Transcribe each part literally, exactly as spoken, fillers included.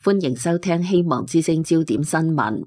歡迎收聽希望之聲焦點新聞。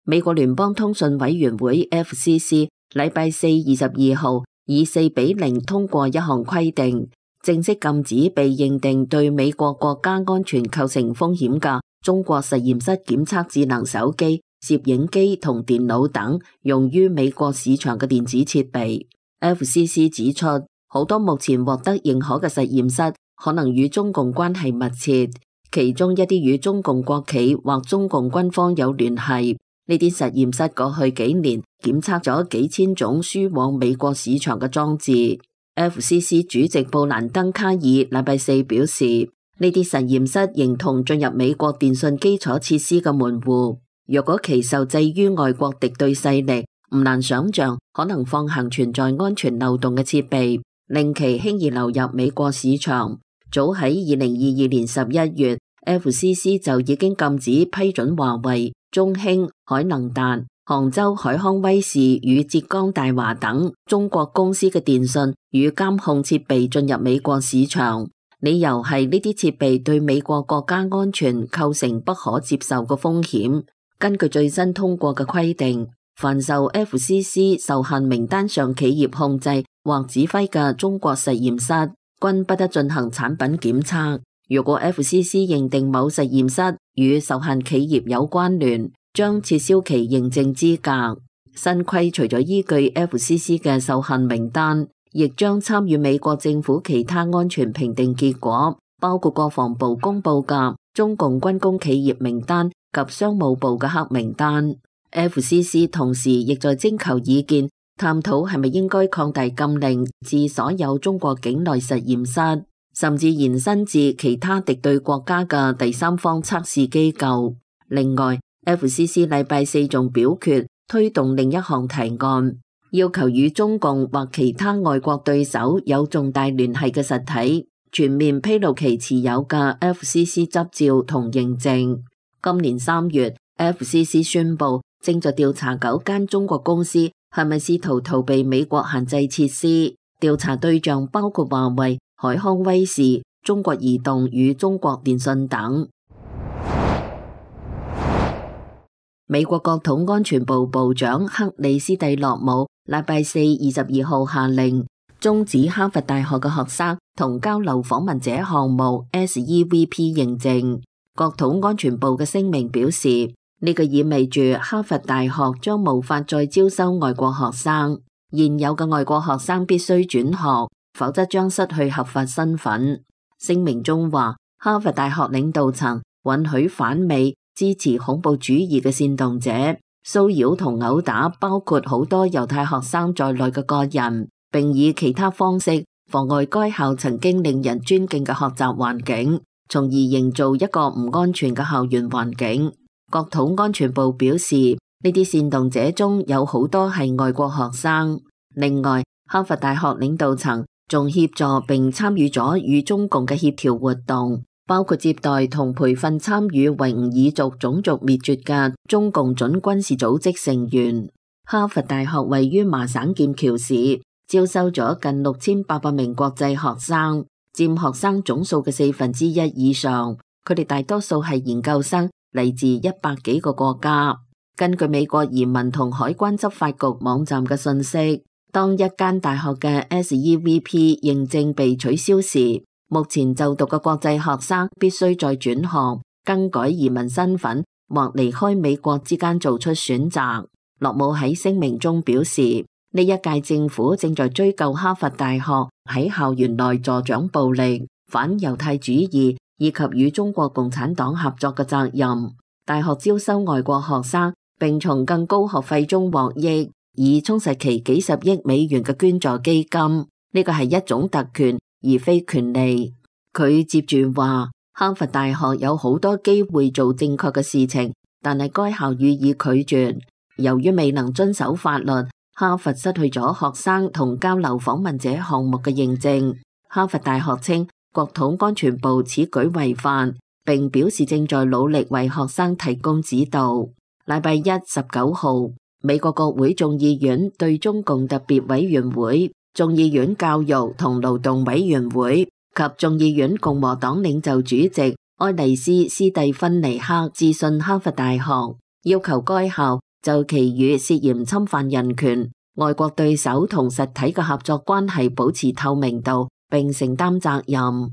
美國聯邦通訊委員會 F C C 禮拜四二十二號以四比零通過一項規定，正式禁止被認定對美國國家安全構成風險嘅中國實驗室檢測智能手機、攝影機同電腦等用於美國市場嘅電子設備。F C C 指出，好多目前獲得認可嘅實驗室可能與中共關係密切，其中一啲與中共國企或中共軍方有聯繫。呢啲實驗室過去幾年檢測咗幾千種輸往美國市場嘅裝置。F C C 主席布蘭登卡爾禮拜四表示，呢啲實驗室形同進入美國電信基礎設施嘅門戶，若果其受制於外國敵對勢力，唔難想象可能放行存在安全漏洞嘅設備，令其輕易流入美國市場。早喺二零二二年十一月 ，F C C 就已經禁止批准華為、中興、海能達、杭州海康威視與浙江大華等中國公司嘅電信與監控設備進入美國市場，理由係呢啲設備對美國國家安全構成不可接受嘅風險。根據最新通過嘅規定，凡受 F C C 受限名單上企業控制或指揮嘅中國實驗室，均不得進行產品檢測。如果 F C C 認定某實驗室與受限企業有關聯，將撤銷其認證資格。新規除咗依據 F C C 嘅受限名單，亦將參與美國政府其他安全評定結果，包括國防部公布嘅中共軍工企業名單及商務部嘅黑名單。F C C 同時亦在徵求意見，探討係咪應該擴大禁令至所有中國境內實驗室，甚至延伸至其他敵對國家嘅第三方測試機構。另外， F C C 禮拜四仲表決推動另一項提案，要求與中共或其他外國對手有重大聯繫嘅實體全面披露其持有嘅 F C C 執照同認證。今年三月 ，F C C 宣布正在調查九間中國公司係咪試圖逃避美國限制設施，調查對象包括華為、海康威視、中國移動與中國電信等。美國國土安全部部長克里斯蒂洛姆禮拜四二十二號下令終止哈佛大學嘅學生同交流訪問者項目 S E V P 認證。國土安全部嘅聲明表示，呢個意味住哈佛大學將無法再招收外國學生，現有嘅外國學生必須轉學，否則將失去合法身份。聲明中話，哈佛大學領導層允許反美、支持恐怖主義嘅煽動者騷擾同毆打包括好多猶太學生在內嘅個人，並以其他方式妨礙該校曾經令人尊敬嘅學習環境，從而營造一個唔安全嘅校園環境。國土安全部表示，呢啲煽動者中有好多係外國學生。另外，哈佛大學領導層仲協助並參與咗與中共嘅協調活動，包括接待同培訓參與維吾爾族種族滅絕嘅中共準軍事組織成員。哈佛大學位於麻省劍橋市，招收咗近六千八百名國際學生，佔學生總數嘅四分之一以上。佢哋大多數係研究生，嚟自一百幾個國家。根據美國移民同海關執法局網站嘅信息，當一間大學嘅 S E V P 認證被取消時，目前就讀嘅國際學生必須再轉學、更改移民身份或離開美國之間做出選擇。洛姆喺聲明中表示，呢一屆政府正在追究哈佛大學喺校園內助長暴力、反猶太主義以及與中國共產黨合作嘅責任。大學招收外國學生，並從更高學費中獲益，以充實其幾十億美元嘅捐助基金。呢個係一種特權，而非權利。佢接住話，哈佛大學有好多機會做正確嘅事情，但係該校予以拒絕。由於未能遵守法律，哈佛失去咗學生同交流訪問者項目嘅認證。哈佛大學稱國土安全部此舉違法，並表示正在努力為學生提供指導。禮拜一十九號，美國國會眾議院對中共特別委員會、眾議院教育同勞動委員會及眾議院共和黨領袖主席愛麗絲斯蒂芬尼克致信哈佛大學，要求該校就其與涉嫌侵犯人權、外國對手同實體嘅合作關係保持透明度並承擔責任。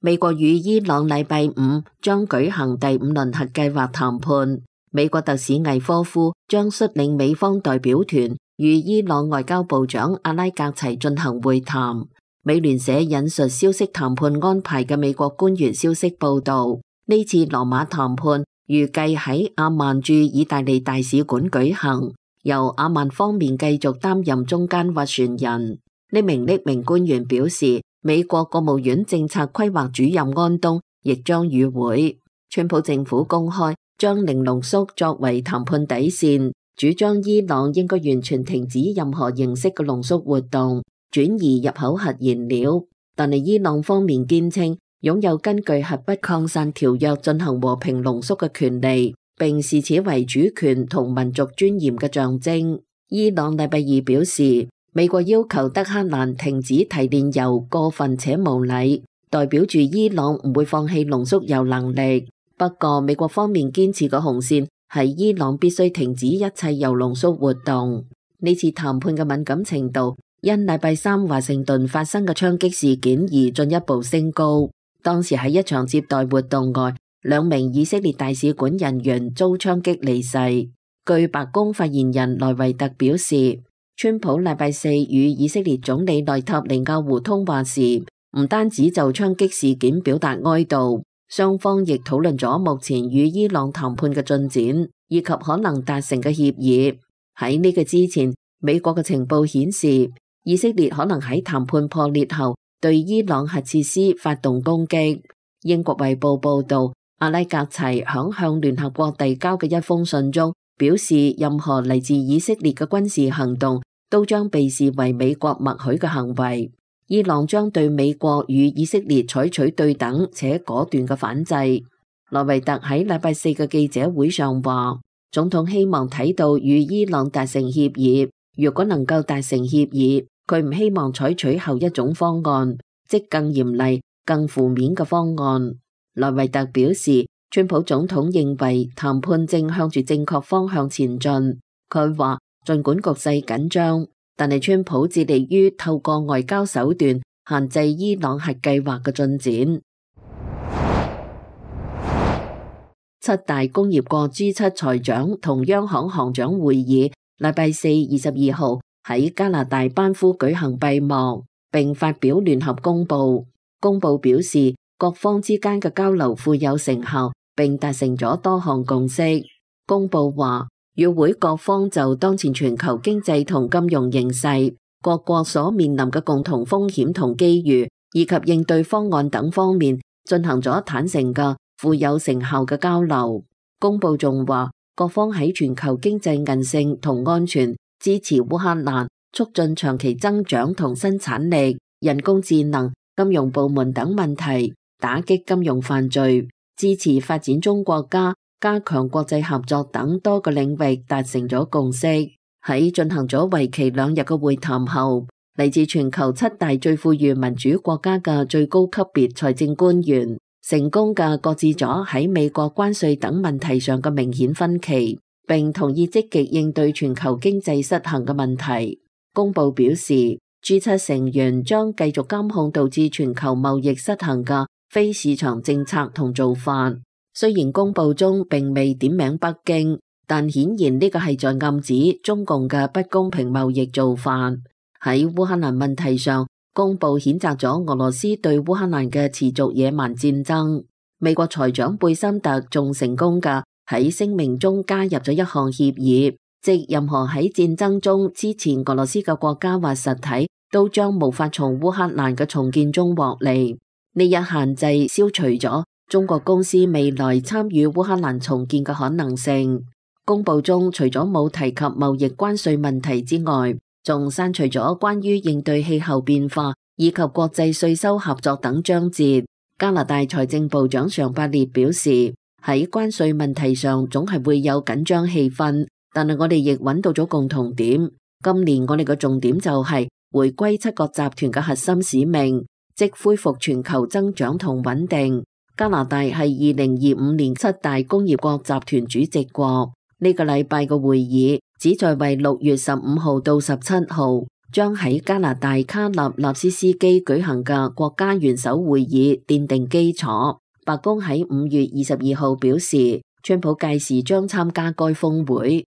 美國與伊朗禮拜五將舉行第五輪核計劃談判，美國特使魏科夫將率領美方代表團與伊朗外交部長阿拉格齊進行會談。美聯社引述消息談判安排嘅美國官員消息報道，呢次羅馬談判預計喺阿曼駐意大利大使館舉行，由阿曼方面繼續擔任中間斡旋人。呢名匿名官員表示，美國國務院政策規劃主任安東亦將與會。川普政府公開將零濃縮作為談判底線，主張伊朗應該完全停止任何形式嘅濃縮活動，轉移入口核燃料，但係伊朗方面堅稱擁有根據核不擴散條約進行和平濃縮嘅權利，並視此為主權同民族尊嚴嘅象徵。伊朗禮拜二表示，美國要求德黑蘭停止提煉油過分且無禮，代表住伊朗唔會放棄濃縮鈾能力。不過，美國方面堅持嘅紅線係伊朗必須停止一切鈾濃縮活動。呢次談判嘅敏感程度因禮拜三華盛頓發生嘅槍擊事件而進一步升高。當時喺一場接待活動外，兩名以色列大使館人員遭槍擊離世。據白宮發言人萊維特表示，川普禮拜四與以色列總理內塔尼亞胡通話時，唔單止就槍擊事件表達哀悼，雙方亦討論咗目前與伊朗談判嘅進展，以及可能達成嘅協議。喺呢個之前，美國嘅情報顯示，以色列可能喺談判破裂後對伊朗核設施發動攻擊。英國衛報報道，阿拉格齊響向聯合國遞交嘅一封信中表示，任何嚟自以色列嘅軍事行動都將被視為美國默許嘅行為。伊朗將對美國與以色列採取對等且果斷嘅反制。萊維特喺禮拜四嘅記者會上話，總統希望睇到與伊朗達成協議，如果能夠達成協議，佢唔希望採取後一種方案，即更嚴厲、更負面嘅方案。萊維特表示，川普總統認為談判正向住正確方向前進。佢話，儘管局勢緊張，但係川普致力於透過外交手段限制伊朗核計劃嘅進展。七大工業國 G 七財長同央行行長會議禮拜四二十二號喺加拿大班夫舉行閉幕，並發表聯合公報。公報表示，各方之間嘅交流富有成效，並達成咗多項共識。公報話，與會各方就當前全球經濟同金融形勢、各國所面臨嘅共同風險同機遇，以及應對方案等方面進行咗坦誠嘅富有成效嘅交流。公報仲話，各方喺全球經濟韌性同安全、支持烏克蘭、促進長期增長同生產力、人工智能、金融部門等問題、打擊金融犯罪、支持發展中國家、加強國際合作等多個領域達成咗共識。喺進行咗為期兩日嘅會談後，嚟自全球七大最富裕民主國家嘅最高級別財政官員成功嘅擱置咗喺美國關稅等問題上嘅明顯分歧，並同意積極應對全球經濟失衡嘅問題。公報表示， G 七成員將繼續監控導致全球貿易失衡嘅非市場政策同做法。雖然公報中並未點名北京，但顯然呢個係在暗指中共嘅不公平貿易做法。喺烏克蘭問題上，公報譴責咗俄羅斯對烏克蘭嘅持續野蠻戰爭。美國財長貝森特仲成功嘅喺聲明中加入咗一項協議，即任何喺戰爭中支持俄羅斯嘅國家或實體都將無法從烏克蘭嘅重建中獲利。呢一限制消除咗中國公司未來參與烏克蘭重建嘅可能性。公報中除咗冇提及貿易關稅問題之外，仲刪除咗關於應對氣候變化以及國際稅收合作等章節。加拿大財政部長尚伯列表示，喺關稅問題上總係會有緊張氣氛，但係我哋亦揾到咗共同點。今年我哋嘅重點就係回歸七國集團嘅核心使命，即恢復全球增長同穩定。加拿大係二零二五年七大工業國集團主席國。呢、這個禮拜嘅會議旨在為六月十五號到十七號將喺加拿大卡納納斯斯基舉行嘅國家元首會議奠定基礎。白宮喺五月二十二號表示，川普屆時將參加該峰會。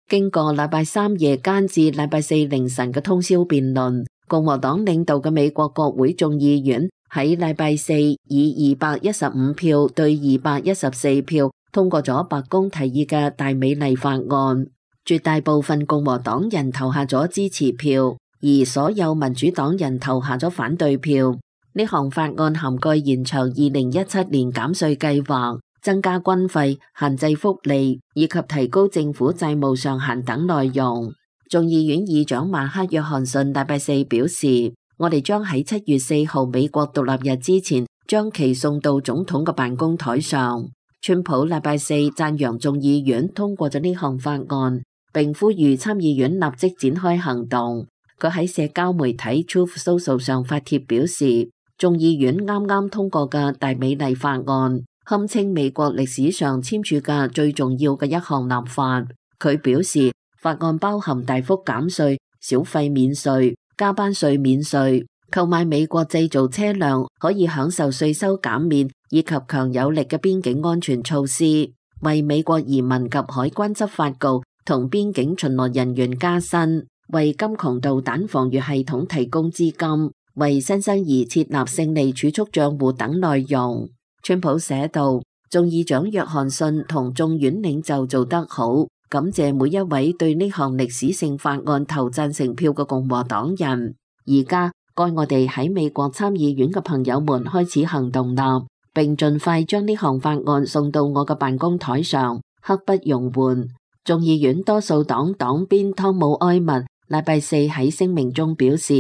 經過禮拜三夜間至禮拜四凌晨嘅通宵辯論，共和黨領導嘅美國國會眾議院喺禮拜四以二百一十五票對二百一十四票通過咗白宮提議嘅大美麗法案，絕大部分共和黨人投下咗支持票，而所有民主黨人投下咗反對票。呢項法案涵蓋延長二零一七年減稅計劃、增加軍費、限制福利以及提高政府債務上限等內容。眾議院議長馬克約翰遜禮拜四表示，我哋將喺七月四號美國獨立日之前將其送到總統嘅辦公台上。川普禮拜四讚揚眾議院通過咗呢項法案，並呼籲參議院立即展開行動。佢喺社交媒體 Truth Social 上發帖表示，眾議院啱啱通過嘅大美麗法案，堪稱美國歷史上簽署嘅最重要嘅一項立法。佢表示，法案包含大幅減稅、小費免稅、加班稅免稅、購買美國製造車輛可以享受稅收減免，以及強有力嘅邊境安全措施，為美國移民及海關執法局同邊境巡邏人員加薪，為金窮導彈防禦系統提供資金，為新生兒設立勝利儲蓄賬戶等內容。川普寫道，眾議長約翰遜同眾院領袖做得好，感謝每一位對呢項歷史性法案投贊成票嘅共和黨人。而家該我哋喺美國參議院嘅朋友們開始行動啦，並盡快將呢項法案送到我嘅辦公台上，刻不容緩。眾議院多數黨黨鞭湯姆埃默禮拜四喺聲明中表示，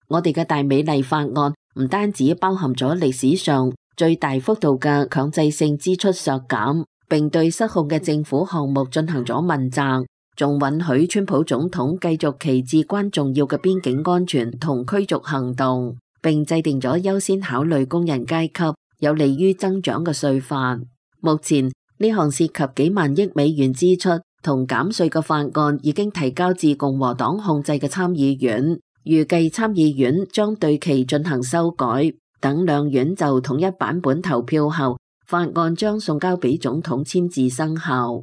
我哋嘅大美麗法案唔單止包含咗歷史上最大幅度嘅強制性支出削減，並對失控嘅政府項目進行咗問責，仲允許川普總統繼續其至關重要嘅邊境安全同驅逐行動，並制定咗優先考慮工人階級、有利於增長嘅稅法。目前呢項涉及幾萬億美元支出同減稅嘅法案已經提交至共和黨控制嘅參議院，預計參議院將對其進行修改。等兩院就統一版本投票後，法案將送交俾總統簽字生效。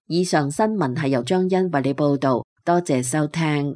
以上新聞係由張欣為你報道，多謝收聽。